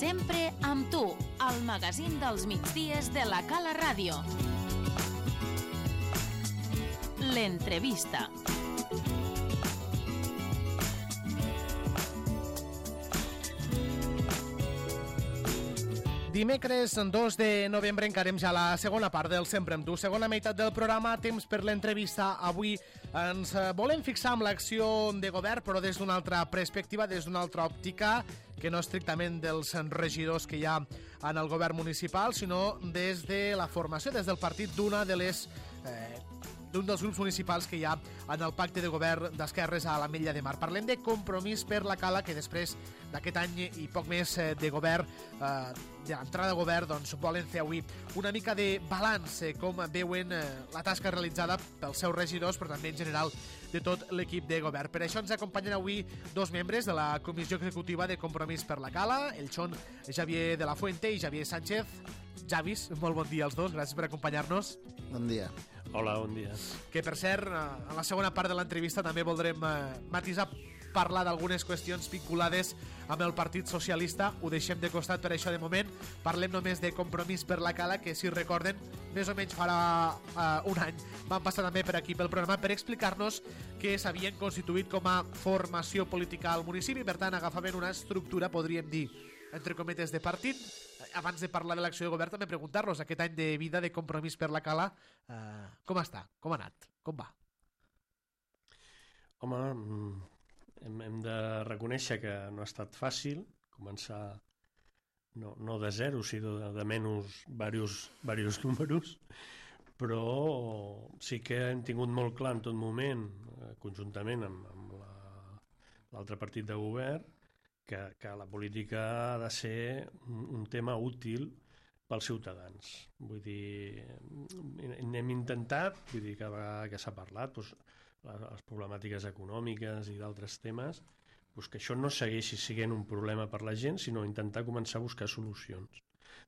Sempre amb tu, al magazín dels migdies de la Cala Ràdio. L'entrevista. Dimecres 2 de novembre encarem ja la segona part del Sempre amb tu, segona meitat del programa, temps per l'entrevista. Avui ens volem fixar en l'acció de govern, però des d'una altra perspectiva, des d'una altra òptica, que no estrictament dels regidors que hi ha en el govern municipal, sinó des de la formació, des del partit d'un dels grups municipals que hi ha en el pacte de govern d'Esquerres a l'Ametlla de Mar. Parlem de Compromís per la Cala, que després d'aquest any i poc més de govern, d'entrada a govern, doncs volen fer avui una mica de balanç, com veuen la tasca realitzada pels seus regidors, però també en general de tot l'equip de govern. Per això ens acompanyen avui dos membres de la Comissió Executiva de Compromís per la Cala, ells són Javier de la Fuente i Javier Sánchez. Javis, molt bon dia als dos, gràcies per acompanyar-nos. Bon dia. Hola, bon dia. Que, per cert, en la segona part de l'entrevista també voldrem matisar, parlar d'algunes qüestions vinculades amb el Partit Socialista. Ho deixem de costat per això de moment. Parlem només de Compromís per la Cala, que, si recorden, més o menys farà un any van passar també per aquí pel programa per explicar-nos que s'havien constituït com a formació política al municipi, per tant agafaven una estructura, podríem dir, entre cometes, de partit. Abans de parlar de l'acció de govern, també preguntar-los aquest any de vida de Compromís per la Cala, com està? Com ha anat? Com va? Home, hem de reconèixer que no ha estat fàcil començar no de zero, sinó de menys diversos números, però sí que hem tingut molt clar en tot moment, conjuntament amb l'altre partit de govern, que la política ha de ser un tema útil pels ciutadans. Vull dir, n'hem intentat, vull dir, cada vegada que s'ha parlat, doncs, les problemàtiques econòmiques i d'altres temes, doncs que això no segueixi sent un problema per la gent, sinó intentar començar a buscar solucions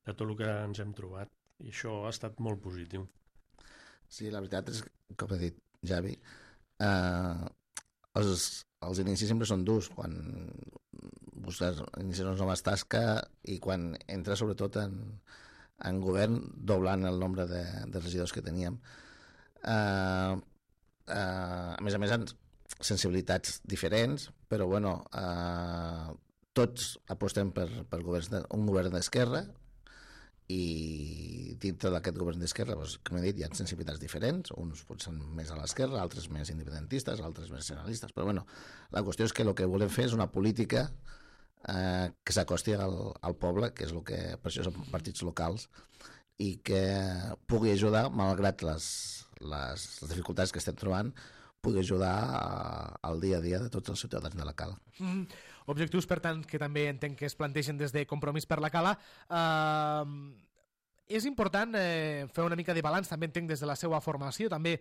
de tot el que ens hem trobat. I això ha estat molt positiu. Sí, la veritat és, com ha dit Javi, els inicis sempre són durs, quan busques iniciar unes noves tasques i quan entres sobretot en govern doblant el nombre de regidors que teníem. A més, sensibilitats diferents, però bueno, tots apostem per un govern d'esquerra, i dintre d'aquest govern d'esquerra, doncs, com he dit, hi ha sensibilitats diferents, uns potser més a l'esquerra, altres més independentistes, altres més nacionalistes, però bueno, la qüestió és que el que volem fer és una política que s'acosti al poble, que és el que per això són partits locals, i que pugui ajudar, malgrat les dificultats que estem trobant, pugui ajudar al dia a dia de tots els ciutadans de la Cala. Objectius, per tant, que també entenc que es plantegen des de Compromís per la Cala. És important fer una mica de balanç, també entenc, des de la seva formació, també,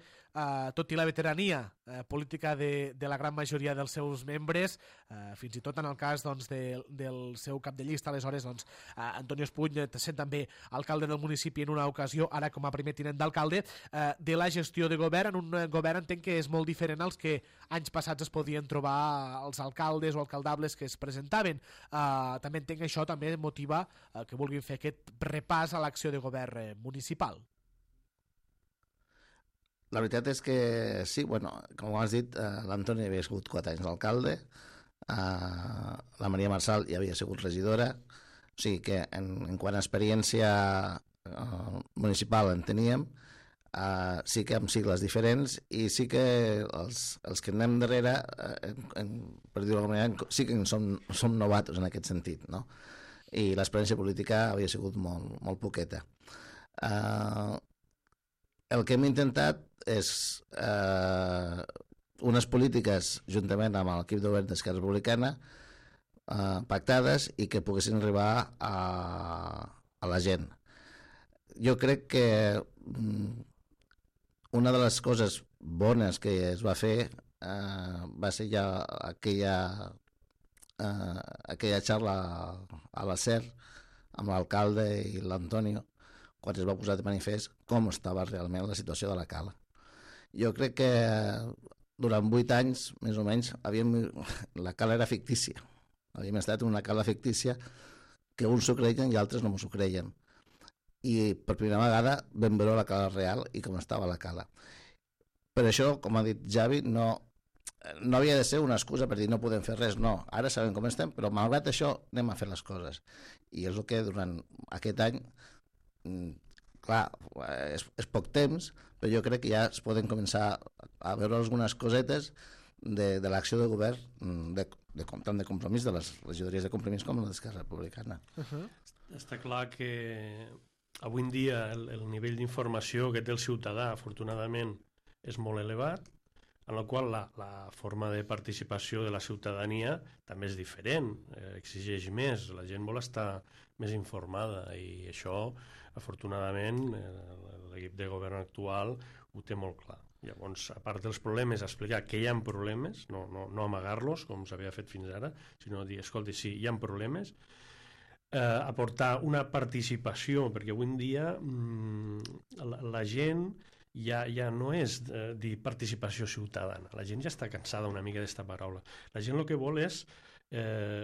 tot i la veterania política de la gran majoria dels seus membres, fins i tot en el cas doncs, del seu cap de llista, aleshores, doncs, Antonio Espuny, sent també alcalde del municipi en una ocasió, ara com a primer tinent d'alcalde, de la gestió de govern, en un govern entenc que és molt diferent als que anys passats es podien trobar els alcaldes o alcaldables que es presentaven. També entenc que això també motiva que vulguin fer aquest repàs a l'acció de govern municipal. La veritat és que sí, bueno, com has dit, l'Antoni havia sigut 4 anys d'alcalde, la Maria Marçal ja havia sigut regidora, o sigui que en quant a experiència municipal en teníem, sí que amb sigles diferents, i sí que els que anem darrere, per dir-ho d'alguna manera, sí que som novatos en aquest sentit, no? I l'experiència política havia sigut molt poqueta. El que hem intentat és unes polítiques, juntament amb l'equip de govern d'Esquerra Republicana, pactades i que poguessin arribar a la gent. Jo crec que una de les coses bones que es va fer va ser ja aquella xarra a la SER amb l'alcalde i l'Antonio, quan es va posar de manifest com estava realment la situació de la Cala. Jo crec que durant 8 anys, més o menys, la Cala era fictícia. Havíem estat en una Cala fictícia que uns s'ho creien i altres no s'ho creien. I per primera vegada vam veure la cala real i com estava la cala. Per això, com ha dit Javi, no havia de ser una excusa per dir no podem fer res, no, ara sabem com estem, però malgrat això anem a fer les coses. I és el que durant aquest any, clar, és poc temps, però jo crec que ja es poden començar a veure algunes cosetes de l'acció de govern, tant de Compromís, de les regidories de Compromís com d'Esquerra Republicana. Està clar que avui en dia el nivell d'informació que té el ciutadà, afortunadament, és molt elevat, en la qual la forma de participació de la ciutadania també és diferent, exigeix més, la gent vol estar més informada i això, afortunadament, l'equip de govern actual ho té molt clar. Llavors, a part dels problemes, explicar que hi ha problemes, no amagar-los, com s'havia fet fins ara, sinó dir, escolti, sí, hi ha problemes, aportar una participació, perquè avui en dia la gent ja no és dir participació ciutadana. La gent ja està cansada una mica d'esta paraula. La gent el que vol és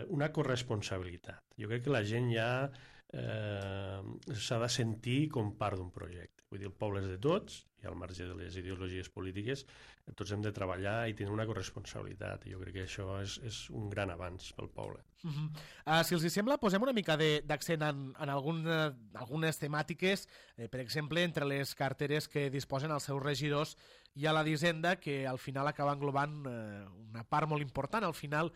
una corresponsabilitat. Jo crec que la gent ja s'ha de sentir com part d'un projecte. Vull dir, el poble és de tots, i al marge de les ideologies polítiques, tots hem de treballar i tenir una corresponsabilitat. Jo crec que això és un gran avanç pel poble. Si els sembla, posem una mica d'accent en algunes temàtiques. Per exemple, entre les carteres que disposen els seus regidors hi ha la d'Hisenda, que al final acaba englobant una part molt important. Al final,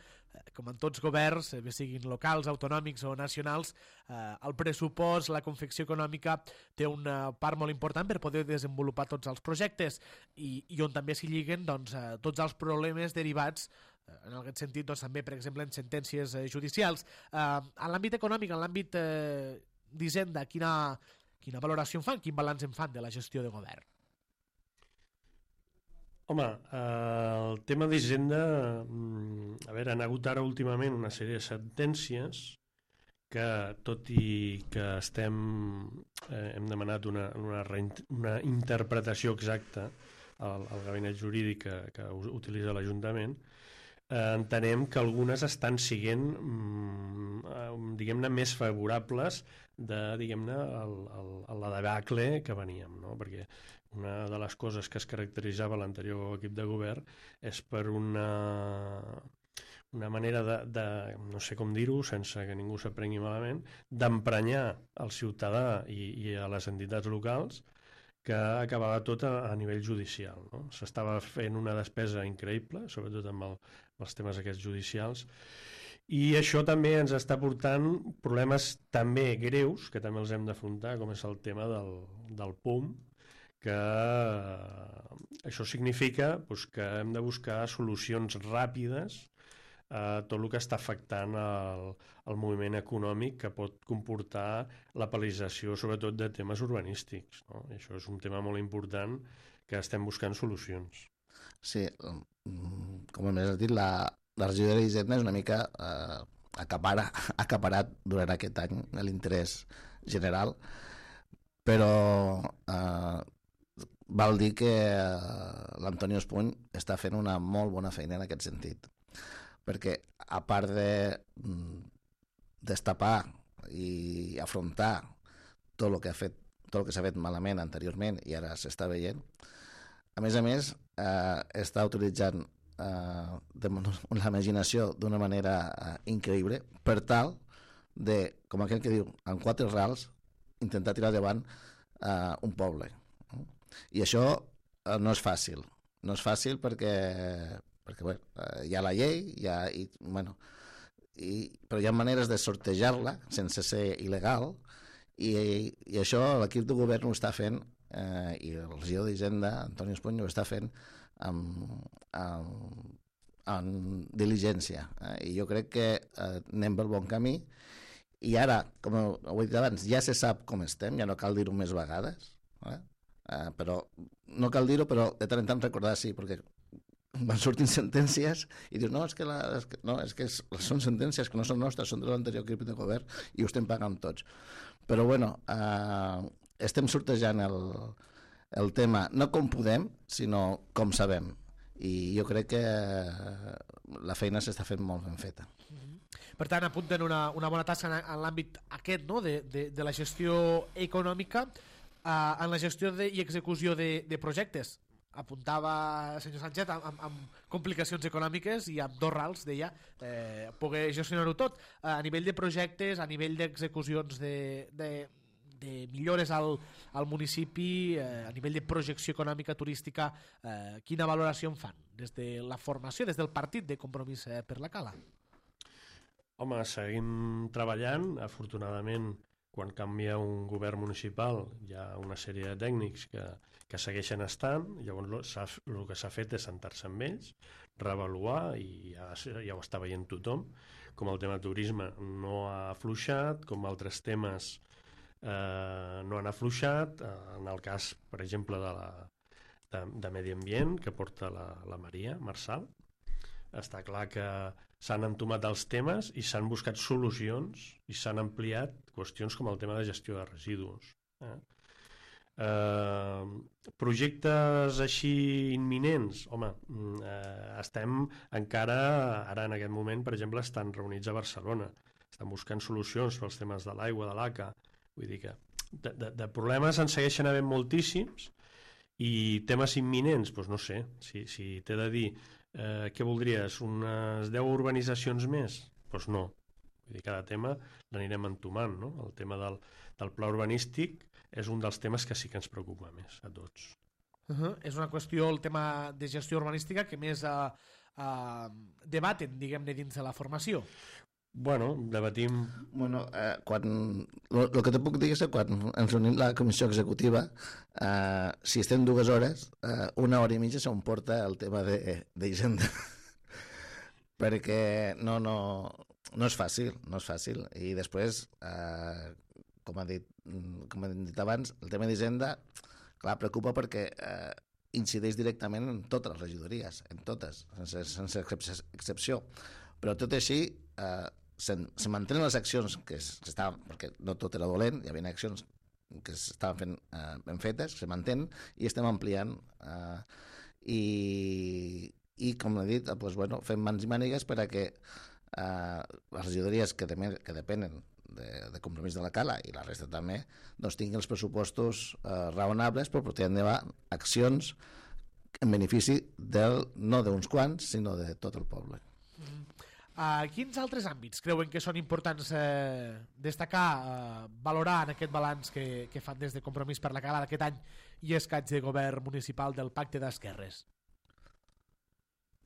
com en tots governs, bé siguin locals, autonòmics o nacionals, el pressupost, la confecció econòmica té una part molt important per poder desenvolupar tots els projectes i on també s'hi lliguen tots els problemes derivats en aquest sentit, també, per exemple, en sentències judicials. En l'àmbit econòmic, en l'àmbit d'Hisenda, quina valoració en fan, quin balanç en fan de la gestió de govern? Home, el tema d'Hisenda, a veure, han hagut ara últimament una sèrie de sentències que, tot i que hem demanat una interpretació exacta al gabinet jurídic que utilitza l'Ajuntament, entenem que algunes estan sent, diguem-ne, més favorables de, diguem-ne, la debacle que veníem, no? Perquè una de les coses que es caracteritzava l'anterior equip de govern és per una manera de, no sé com dir-ho, sense que ningú s'aprengui malament, d'emprenyar el ciutadà i a les entitats locals, que acabava tot a nivell judicial, no? S'estava fent una despesa increïble, sobretot amb els temes aquests judicials, i això també ens està portant problemes també greus, que també els hem d'afrontar, com és el tema del PUM, que això significa que hem de buscar solucions ràpides a tot el que està afectant el moviment econòmic que pot comportar la paralització, sobretot de temes urbanístics, no? I això és un tema molt important que estem buscant solucions. Sí, com hem dit, la regió d'Hisenda és una mica acaparat durant aquest any l'interès general, però val dir que l'Antonio Espuny està fent una molt bona feina en aquest sentit, perquè a part de destapar i afrontar tot el que s'ha fet malament anteriorment i ara s'està veient, a més està utilitzant la imaginació d'una manera increïble per tal de, com aquell que diu, amb 4 rals intentar tirar endavant un poble. I això no és fàcil. No és fàcil perquè bé, hi ha la llei, però hi ha maneres de sortejar-la sense ser il·legal i això l'equip de govern ho està fent i el regidor d'Hisenda, Antonio Espuny, ho està fent amb diligència. I jo crec que anem pel bon camí i ara, com ho he dit abans, ja se sap com estem, ja no cal dir-ho més vegades, però no cal dir-ho, però de tant en tant recordar, sí, perquè van sortint sentències i dius, no, és que són sentències que no són nostres, són de l'anterior equip de govern i ho estem pagant tots. Però bueno, estem sortejant el tema no com podem, sinó com sabem. I jo crec que la feina s'està fent molt ben feta. Per tant, apunten una bona tasca en l'àmbit aquest, no? de la gestió econòmica, en la gestió i execució de projectes. Apuntava senyor Sánchez amb complicacions econòmiques i amb dos rals, deia, poder gestionar-ho tot a nivell de projectes, a nivell d'execucions de millores al municipi, a nivell de projecció econòmica turística. Quina valoració en fan des de la formació, des del partit de Compromís per la Cala? Home, seguim treballant. Afortunadament, quan canvia un govern municipal hi ha una sèrie de tècnics que segueixen estant. Llavors el que s'ha fet és sentar-se amb ells, reavaluar, i ja ho està veient tothom, com el tema turisme no ha afluixat, com altres temes no han afluixat. En el cas, per exemple, de Medi Ambient, que porta la Maria Marçal, està clar que s'han entomat els temes i s'han buscat solucions i s'han ampliat qüestions com el tema de gestió de residus. Projectes així imminents, home, estem encara, ara en aquest moment, per exemple, estan reunits a Barcelona, estan buscant solucions pels temes de l'aigua, de l'ACA. Vull dir que de problemes en segueixen havent moltíssims, i temes imminents, doncs no sé, si t'he de dir què voldries, unes 10 urbanitzacions més? Doncs no. Vull dir, cada tema l'anirem entomant, no? El tema del pla urbanístic és un dels temes que sí que ens preocupa més a tots. És una qüestió, el tema de gestió urbanística, que més debaten, diguem-ne, dins de la formació. Bueno, debatim... Bueno, el que te puc dir és que quan ens reunim la comissió executiva, si estem 2 hores, 1 hora i mitja se'n porta el tema d'Hisenda. Perquè no és fàcil, I després, com he dit abans, el tema d'Hisenda, clar, preocupa perquè incideix directament en totes les regidories, en totes, sense excepció. Però tot així, se mantenen les accions que s'estaven, perquè no tot era dolent, hi havia accions que s'estaven fent ben fetes, se mantenen i estem ampliant, i com he dit, fem mans i mànigues per a que les regidories que depenen de Compromís de la Cala, i la resta també, doncs tinguin els pressupostos raonables per portar endavant accions en benefici no d'uns quants, sinó de tot el poble. Quins altres àmbits creuen que són importants destacar, valorar en aquest balanç que fan des de Compromís per la Cala d'aquest any i escaig de govern municipal del Pacte d'Esquerres?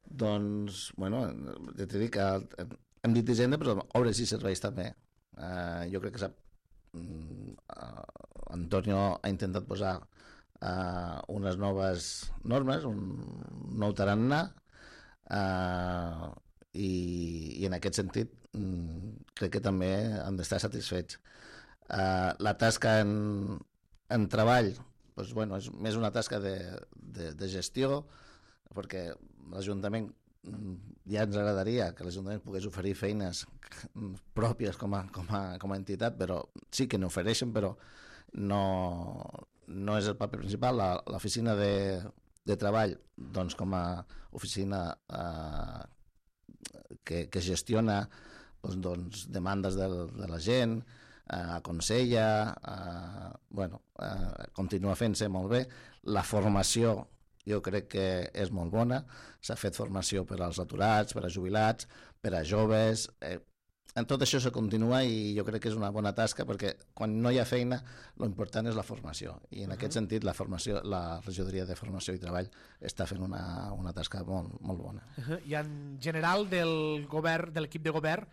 Doncs, bueno, ja t'he dit que hem dit Hisenda, però obres i serveis també. Jo crec que Antonio ha intentat posar unes noves normes, un nou tarannà, i en aquest sentit crec que també han d'estar satisfets. La tasca en treball, doncs, bueno, és més una tasca de gestió, perquè l'Ajuntament ja ens agradaria que l'Ajuntament pogués oferir feines pròpies com a entitat, però sí que n'ofereixen, però no és el paper principal. L'oficina de treball, doncs, com a oficina que gestiona doncs, demandes de la gent, aconsella, continua fent-se molt bé. La formació jo crec que és molt bona, s'ha fet formació per als aturats, per a jubilats, per a joves, en tot això se continua, i jo crec que és una bona tasca, perquè quan no hi ha feina l'important és la formació, i en aquest sentit la regidoria de formació i treball està fent una tasca molt, molt bona. I en general de l'equip de govern,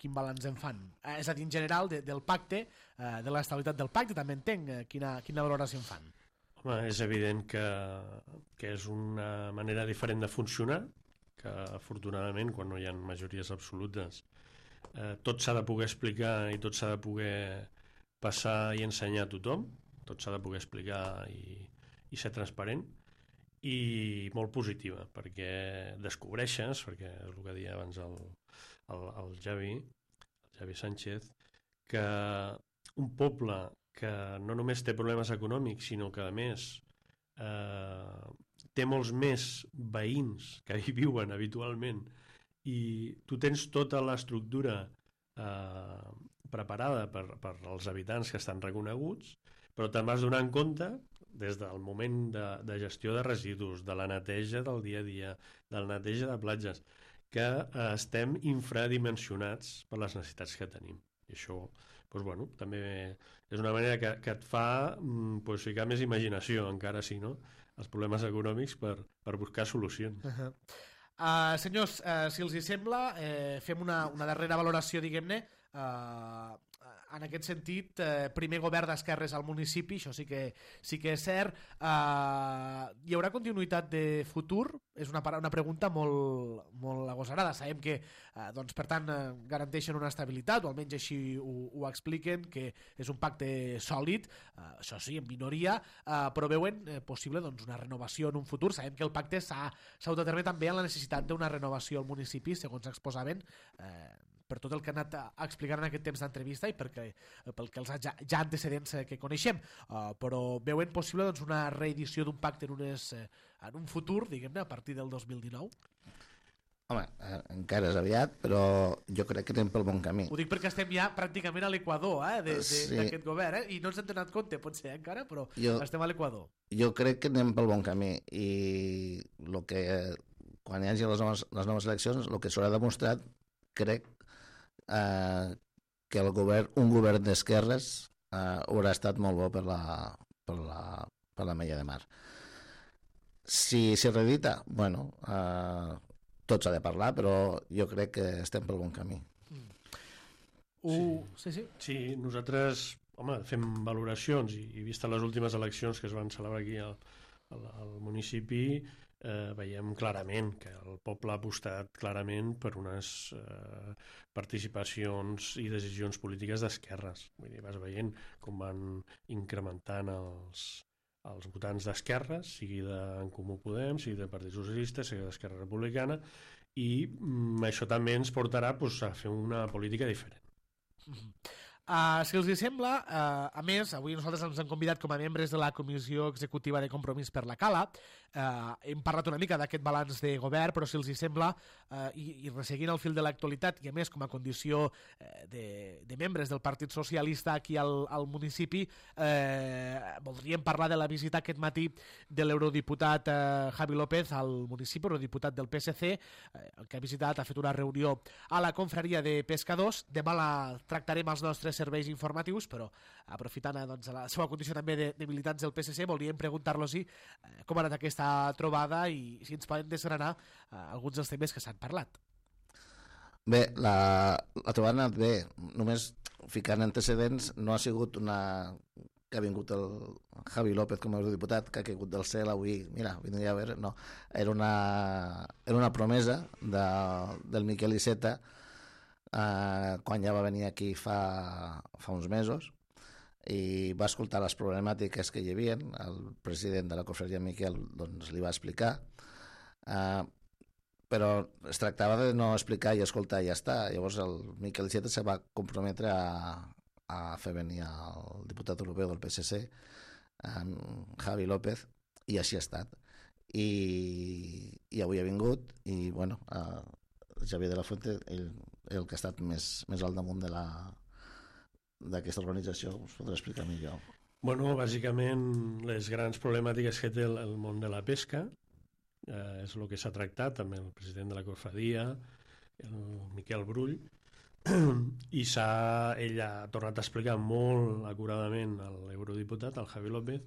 quin balanç en fan? És a dir, en general del pacte, de l'estabilitat del pacte, també entenc quina valoració en fan. Home, és evident que és una manera diferent de funcionar, que afortunadament quan no hi ha majories absolutes tot s'ha de poder explicar i tot s'ha de poder passar i ensenyar a tothom, tot s'ha de poder explicar i ser transparent, i molt positiva, perquè descobreixes, perquè és el que deia abans el Javi Sánchez, que un poble que no només té problemes econòmics, sinó que a més té molts més veïns que hi viuen habitualment i tu tens tota l'estructura preparada per als habitants que estan reconeguts, però te'n vas donar en compte des del moment de gestió de residus, de la neteja del dia a dia, de la neteja de platges, que estem infradimensionats per les necessitats que tenim. I això, doncs, bueno, també és una manera que et fa ficar més imaginació, encara si no, els problemes econòmics per buscar solucions. Senyors, si els hi sembla, fem una darrera valoració, diguem-ne, en aquest sentit, primer govern d'esquerres al municipi, això sí que és cert. Hi haurà continuïtat de futur? És una pregunta molt agosarada. Sabem que, doncs, per tant, garanteixen una estabilitat, o almenys així ho expliquen, que és un pacte sòlid, això sí, en minoria, però veuen possible, doncs, una renovació en un futur. Sabem que el pacte s'ha d'autodeterminar també en la necessitat d'una renovació al municipi, segons exposaven, per tot el que han anat a explicar en aquest temps d'entrevista i pel que els ja antecedents que coneixem, però veuen possible, doncs, una reedició d'un pacte en un futur, diguem-ne, a partir del 2019? Home, encara és aviat, però jo crec que anem pel bon camí. Ho dic perquè estem ja pràcticament a l'equador d'aquest govern, i no ens hem donat compte, potser encara, però estem a l'equador. Jo crec que anem pel bon camí, i quan hi hagi les noves eleccions, el que s'haurà demostrat, crec, que un govern d'esquerres haurà estat molt bo per la Mella de Mar. Si s'herredita, bueno, tot s'ha de parlar, però jo crec que estem pel bon camí. Sí, nosaltres, home, fem valoracions i vista les últimes eleccions que es van celebrar aquí al municipi, veiem clarament que el poble ha apostat clarament per unes participacions i decisions polítiques d'esquerres. Vull dir, vas veient com van incrementant els votants d'esquerres, sigui d'en Comú Podem, sigui del Partit Socialista, sigui d'Esquerra Republicana, i això també ens portarà a fer una política diferent. Si els hi sembla, a més, avui nosaltres ens hem convidat com a membres de la Comissió Executiva de Compromís per la Cala. Hem parlat una mica d'aquest balanç de govern, però si els hi sembla, i resseguint el fil de l'actualitat, i a més com a condició de membres del Partit Socialista aquí al municipi, voldríem parlar de la visita aquest matí de l'eurodiputat Javi López al municipi, eurodiputat del PSC, que ha visitat, ha fet una reunió a la confraria de pescadors. Demà la tractarem als nostres serveis informatius, però aprofitant, doncs, la seva condició també de militants del PSC, volíem preguntar-los com ha anat aquesta trobada i si ens poden desgranar alguns dels temes que s'han parlat. Bé, la trobada ha anat bé, només ficant antecedents, no ha sigut que ha vingut el Javi López com a eurodiputat, que ha caigut del cel avui, mira, vindria a veure, no, era una promesa del Miquel Iceta, quan ja va venir aquí fa uns mesos, i va escoltar les problemàtiques que hi havia. El president de la confraria Miquel, doncs, li va explicar, però es tractava de no explicar i escoltar i ja està. Llavors el Miquel Iceta se va comprometre a fer venir el diputat europeu del PSC, Javi López, i així ha estat. I avui ha vingut, i bueno, Javier de la Fuente, el que ha estat més al damunt d'aquesta organització, us podré explicar millor. Bueno, bàsicament les grans problemàtiques que té el món de la pesca és el que s'ha tractat amb el president de la cofradia, el Miquel Brull, i ell ha tornat a explicar molt acuradament a l'eurodiputat, al Javi López,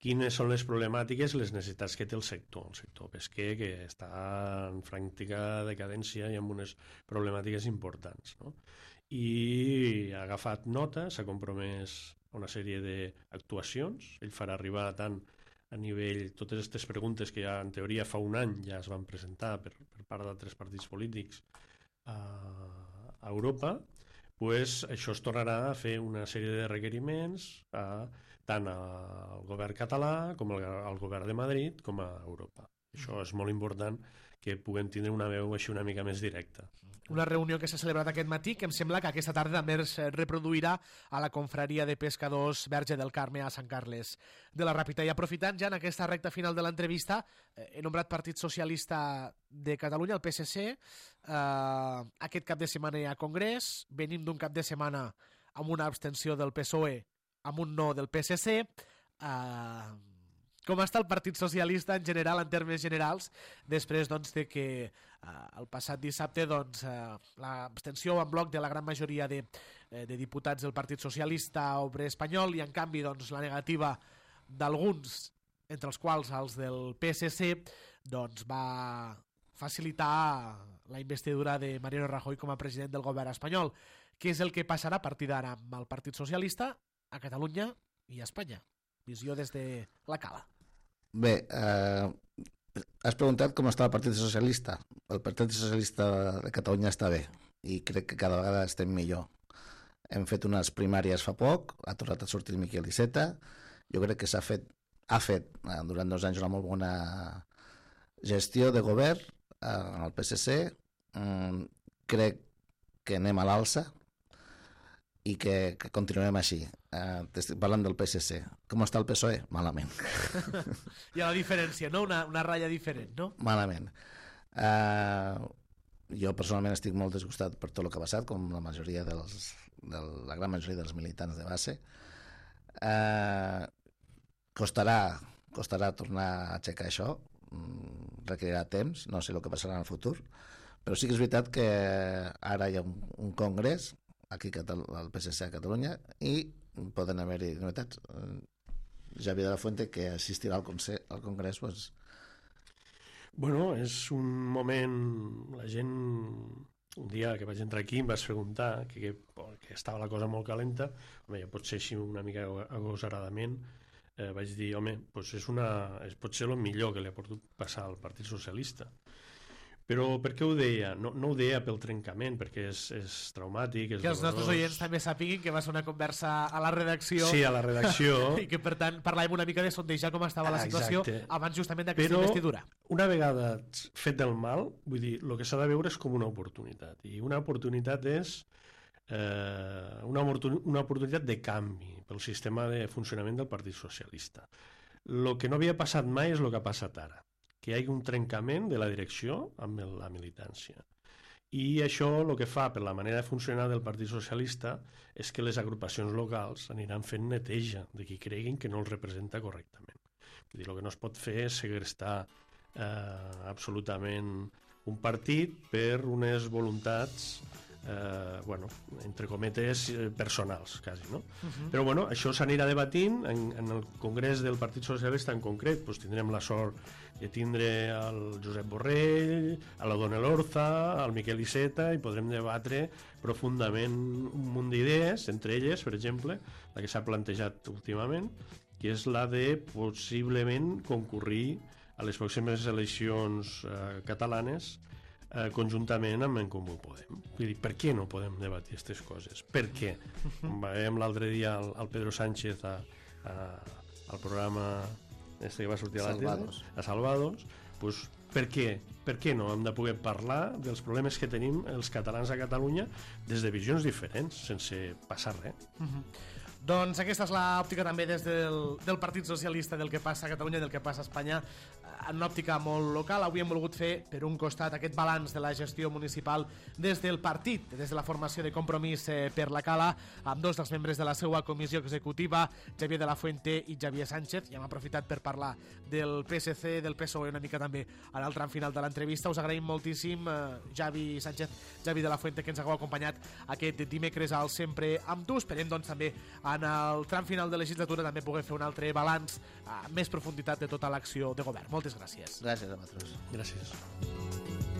quines són les problemàtiques i les necessitats que té el sector pesquer, que està en franca decadència i amb unes problemàtiques importants, no? I ha agafat nota, s'ha compromès a una sèrie d'actuacions. Ell farà arribar tant a nivell, totes aquestes preguntes que ja en teoria fa un any ja es van presentar per part d'altres partits polítics a Europa, doncs això es tornarà a fer una sèrie de requeriments tant al govern català com al govern de Madrid com a Europa. Això és molt important, que puguem tindre una veu així una mica més directa. Una reunió que s'ha celebrat aquest matí, que em sembla que aquesta tarda també es reproduirà a la confraria de pescadors Verge del Carme a Sant Carles de la Ràpita. I aprofitant ja en aquesta recta final de l'entrevista, he nombrat Partit Socialista de Catalunya, el PSC. Aquest cap de setmana hi ha congrés, venim d'un cap de setmana amb una abstenció del PSOE, amb un no del PSC. Com està el Partit Socialista en general, en termes generals, després de que el passat dissabte l'abstenció en bloc de la gran majoria de diputats del Partit Socialista Obrer Espanyol i en canvi la negativa d'alguns, entre els quals els del PSC, va facilitar la investidura de Mariano Rajoy com a president del govern espanyol. Què és el que passarà a partir d'ara amb el Partit Socialista a Catalunya i a Espanya? Visió des de la Cala. Bé, has preguntat com està el Partit Socialista. El Partit Socialista de Catalunya està bé i crec que cada vegada estem millor. Hem fet unes primàries fa poc, ha tornat a sortir el Miquel Iceta. Jo crec que ha fet durant 2 anys una molt bona gestió de govern al PSC. Crec que anem a l'alça i que continuem així. Estic parlant del PSC. Com està el PSOE? Malament. Hi ha la diferència, no? Una ratlla diferent, no? Malament. Jo personalment estic molt disgustat per tot el que ha passat, com la gran majoria dels militants de base. Costarà tornar a aixecar això, requerirà temps, no sé el que passarà en el futur, però sí que és veritat que ara hi ha un congrés aquí al PSC a Catalunya i poden haver-hi novetats. Javier de la Fuente, que assistirà al congrés, doncs... Bueno, és un moment... La gent, un dia que vaig entrar aquí, em vas preguntar que estava la cosa molt calenta. Home, ja pot ser així una mica agosaradament. Vaig dir, home, doncs pot ser el millor que li ha pogut passar al Partit Socialista. Però per què ho deia? No ho deia pel trencament, perquè és traumàtic, és que els nostres oients també sàpiguin que va ser una conversa a la redacció. Sí, a la redacció. I que, per tant, parlàvem una mica de sondejar com estava la situació abans justament d'aquesta investidura. Però una vegada fet el mal, vull dir, el que s'ha de veure és com una oportunitat. I una oportunitat és una oportunitat de canvi pel sistema de funcionament del Partit Socialista. El que no havia passat mai és el que ha passat ara, que hi hagi un trencament de la direcció amb la militància. I això el que fa, per la manera de funcionar del Partit Socialista, és que les agrupacions locals aniran fent neteja de qui creguin que no els representa correctament. Vull dir, el que no es pot fer és segrestar absolutament un partit per unes voluntats entre cometes personals, quasi, no? Però bueno, això s'anirà debatint en el Congrés del Partit Socialista en concret. Doncs tindrem la sort de tindre el Josep Borrell, a la Dona Elorza, al Miquel Iceta, i podrem debatre profundament un munt d'idees, entre elles, per exemple, la que s'ha plantejat últimament, que és la de possiblement concurrir a les pròximes eleccions catalanes conjuntament amb En Comú Podem. Vull dir, per què no podem debatir aquestes coses? Per què? Veiem l'altre dia el Pedro Sánchez al programa que va sortir a la tele, a Salvados, doncs per què? Per què no hem de poder parlar dels problemes que tenim els catalans a Catalunya des de visions diferents, sense passar res? Doncs aquesta és l'òptica també des del Partit Socialista del que passa a Catalunya i del que passa a Espanya en una òptica molt local. Avui hem volgut fer, per un costat, aquest balanç de la gestió municipal des del partit, des de la formació de Compromís per la Cala, amb 2 dels membres de la seva comissió executiva, Javier de la Fuente i Javier Sánchez, i hem aprofitat per parlar del PSC, del PSOE, una mica també a l'altre final de l'entrevista. Us agraïm moltíssim, Javi Sánchez, Javi de la Fuente, que ens hagueu acompanyat aquest dimecres al Sempre amb tu. Esperem, doncs, també en el tram final de legislatura també poder fer un altre balanç amb més profunditat de tota l'acció de govern. Moltes gràcies. Gràcies a vosaltres. Gràcies.